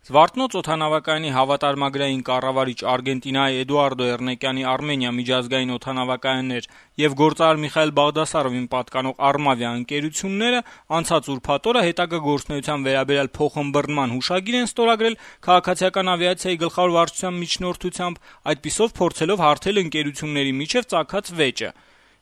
Զվարթնոց օդանավակայանի հավատարմագրային կառավարիչ Արգենտինայի Էդուարդո Էռնեկյանի Արմենիա միջազգային օդանավակայաններ եւ գործարար Միխայել Բաղդասարովին պատկանող Արմավիա ընկերությունները անցած ուրբաթ օրը հետագա գործունեության վերաբերյալ փոխըմբռնման հուշագիր են ստորագրել քաղաքացիական ավիացիայի գլխավոր վարչության միջնորդությամբ, այդպիսով փորձելով հարթել ընկերությունների միջև ծագած վեճը։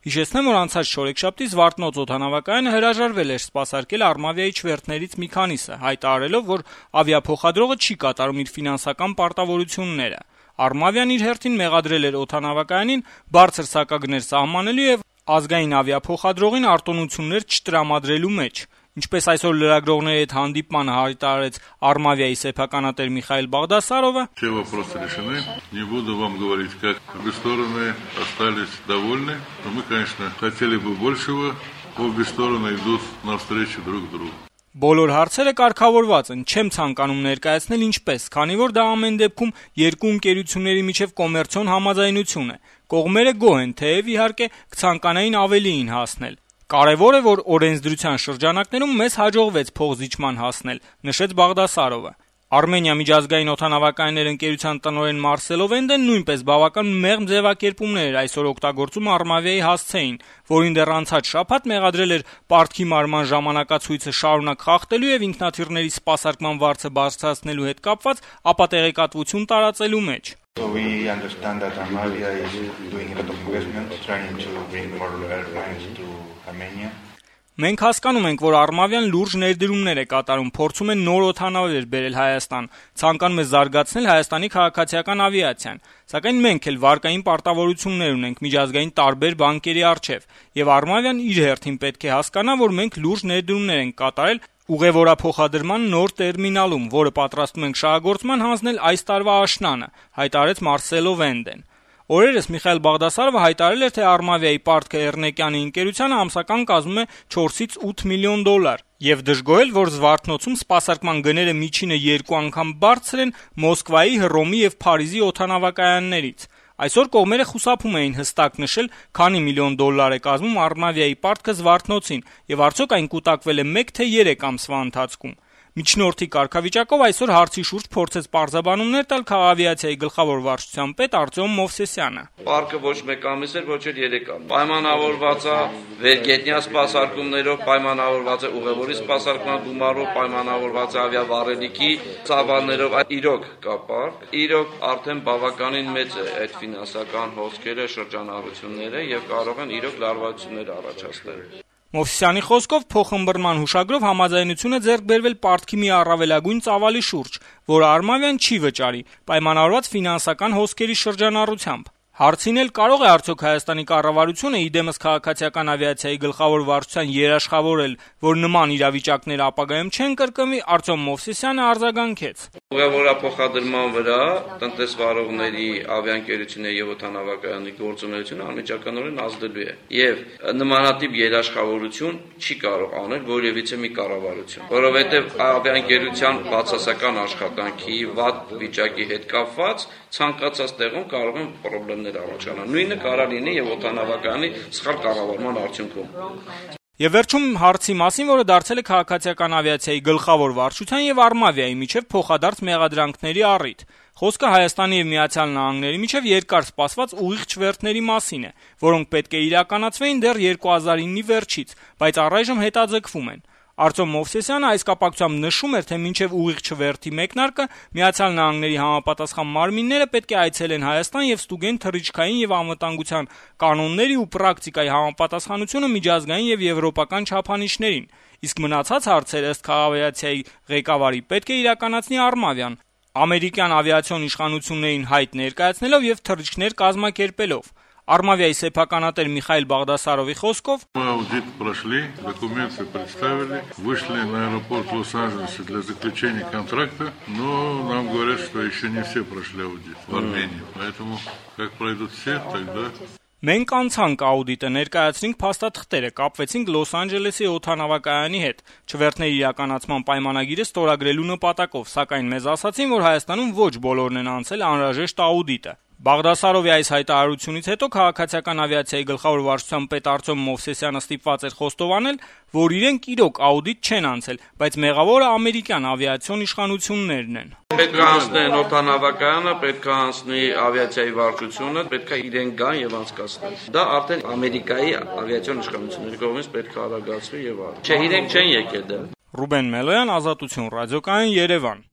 Հիշեցնեմ, որ անցած շորեքշաբթի Զվարթնոց օդանավակայանը հրաժարվել էր սպասարկել Արմավիայի չվերթներից մի քանիսը, հայտարարելով, որ ավիափոխադրողը չի կատարում իր ֆինանսական պարտավորությունները։ Արմավիան իր հերթին մեղադրել էր օդանավակայանին բարձր սակագներ սահմանելու եւ ազգային ավիափոխադրողին արտոնություններ չտրամադրելու մեջ։ Ինչպես այսօր լրագրողների հետ հանդիպմանը հայտարարեց Արմավիայի սեփականատեր Միխայել Բաղդասարովը, все вопросы решены. Не буду вам говорить, как обе стороны остались довольны. Но мы, конечно, хотели бы большего. Обе стороны идут навстречу друг другу. Բոլոր հարցերը կարգավորված են, չեմ ցանկանում ներկայացնել ինչպես, քանի որ դա ամեն դեպքում երկու ընկերությունների միջև կոմերցիոն համաձայնություն է։ Կողմերը գոհ են, թեև իհարկե կցանկանային ավելիին հասնել։ Կարևոր է, որ օրենսդրության շրջանակներում մեզ հաջողվեց փոխզիջման հասնել, նշեց Բաղդասարովը։ Արմենիա միջազգային օդանավակայաններ ընկերության տնօրեն Մարսելո Վենդեն նույնպես բավական մեղմ ձևակերպումներ էր այսօր օգտագործում Արմավիայի հասցեին, որին դեռ անցած շաբաթ մեղադրել էր պարտքի մարման ժամանակացույցը շարունակ խախտելու եւ ինքնաթիռների սպասարկման վարձը բարձրացնելու հետ կապված ապատեղեկատվություն տարածելու մեջ։ We understand that Armavia is doing a lot of investment, trying to bring more airplanes to Armenia. Մենք հասկանում ենք, որ Արմավիան լուրջ ներդրումներ է կատարում, փորձում են նոր օդանավեր բերել Հայաստան, ցանկանում է զարգացնել Հայաստանի քաղաքացիական ավիացիան, սակայն մենք էլ վարկային պարտավորություններ ունենք միջազգային տարբեր բանկերի առջև, եւ Արմավիան իր հերթին պետք է հասկանա, որ մենք լուրջ ներդրումներ ենք կատարել ուղևորափոխադրման նոր տերմինալում, որը պատրաստում ենք շահագործման հանձնել այս տարվա աշնանը, հայտարարեց Մարսելո Վենդեն։ Օրերս Միխայել Բաղդասարովը հայտարարել էր, թե Արմավիայի պարտքը Էռնեկյանի ընկերությանը ամսական կազմում է 4-ից 8 միլիոն դոլար եւ դժգոհել, որ Զվարթնոցում սպասարկման գները միջինը 2 անգամ բարձր են Մոսկվայի, Հռոմի եւ Փարիզի օդանավակայաններից։ Այսօր կողմերը խուսափում էին հստակ նշել, քանի միլիոն դոլար է կազմում Արմավիայի պարտքը Զվարթնոցին եւ արդյոք այն կուտակվել է 1 թե 3 ամսվա ընթացքում։ Միջնորդի կարգավիճակով այսօր հարցի շուրջ փորձեց պարզաբանումներ տալ քաղաքավիացիայի գլխավոր վարչության պետ Արտյոմ Մովսեսյանը։ Պարկը ոչ 1 ամիս էր, ոչ էլ 3 ամիս։ Պայմանավորված է վերգետնյա սպասարկումներով, պայմանավորված է ուղևորի սպասարկման գումարով, պայմանավորված է ավիավառելիքի ծավալներով, իրոք կա պարկ։ Իրոք արդեն բավականին մեծ է այդ ֆինանսական հոսքերը, շրջանառությունները եւ կարող են իրոք լարվածություններ առաջացնել։ Մովսեսյանի խոսքով փոխըմբռնման հուշագրով համաձայնություն է ձեռք բերվել պարտքի մի առավելագույն ծավալի շուրջ, որ Արմավիան չի վճարի, պայմանավորված ֆինանսական հոսքերի շրջանառությամբ։ Հարցին էլ կարող է արդյոք Հայաստանի կառավարությունը իդեմս քաղաքացիական ավիացիայի գլխավոր վարչության երաշխավորել, որ նման իրավիճակները ապագայում չեն կրկնվի, Արտյոմ Մովսեսյանը արձագանքեց։ Ուղևորափոխադրման վրա տնտեսվարողների ավիաընկերությունների եւ օդանավակայանի գործունեությունը անմիջականորեն ազդելու է եւ նմանատիպ երաշխավորություն չի կարող անել որևիցե մի կառավարություն, որովհետեւ ավիաընկերության բացասական աշխատանքի վատ վիճակի հետ կապված ցանկացած տեղում կարող են խնդիրներ առաջանալ։ Նույնը կարող լինի եւ օդանավակայանի սխալ կառավարման արդյունքում։ Եվ վերջում հարցի մասին, որը դարձել է քաղաքացիական ավիացիայի գլխավոր վարչության եւ Արմավիայի միջև փոխադարձ մեղադրանքների առիթ։ Խոսքը Հայաստանի եւ Միացյալ Նահանգների միջև երկար սպասված ուղիղ չվերթների մասին է, որոնք պետք է իրականացվեին դեռ 2009-ի վերջից, բայց առայժմ հետաձգվում են։ Արտյոմ Մովսեսյանը այս կապակցությամբ նշում էր, թե մինչև ուղիղ չվերթի մեկնարկը Միացյալ Նահանգների համապատասխան մարմինները պետք է այցելեն Հայաստան եւ ստուգեն թռիչքային եւ անվտանգության կանոնների ու պրակտիկայի համապատասխանությունը միջազգային եւ եվրոպական չափանիշներին, իսկ մնացած հարցերը ըստ քաղաքավիացիայի ղեկավարի պետք է իրականացնի Արմավիան, ամերիկյան ավիացիոն իշխանություններին հայտ ներկայացնելով եւ թռիչքներ կազմակերպելով։ Արմավիայի սեփականատեր Միխայել Բաղդասարովի խոսքով Мы аудит прошли, документы представили, вышли на аэропорт Лос-Анджелеса для заключения контракта, но нам говорят, что еще не все прошли аудит в Армении. Поэтому, как пройдут все, тогда... Մենք անցանք աուդիտը, ներկայացրինք փաստաթղթերը, կապվեցինք Լոս Անջելեսի օդանավակայանի հետ, չվերթների իրականացման պայմանագիրը ստորագրելու նպատակով, սակայն մեզ ասացին, որ Հայաստանում ոչ բոլորն են անցել անհրաժեշտ աուդիտը։ Բաղդասարովի այս հայտարարությունից հետո քաղաքացիական ավիացիայի գլխավոր վարչության պետ Արտյոմ Մովսեսյանը ստիպված էր խոստովանել, որ իրենք իրոք աուդիտ չեն անցել, բայց մեղավորը ամերիկյան ավիացիոն իշխանություններն են։ Պետք է անցնեն օդանավակայանը, պետք է անցնի ավիացիայի վարչությունը, պետք է իրեն գան եւ անցկացնեն։ Դա արդեն Ամերիկայի ավիացիոն իշխանությունների կողմից պետք է արագացվի եւ այլն։ Չէ, իրենք չեն եկել դա։ Ռուբեն Մելոյան, Ազատություն ռադիոկայան, Երևան։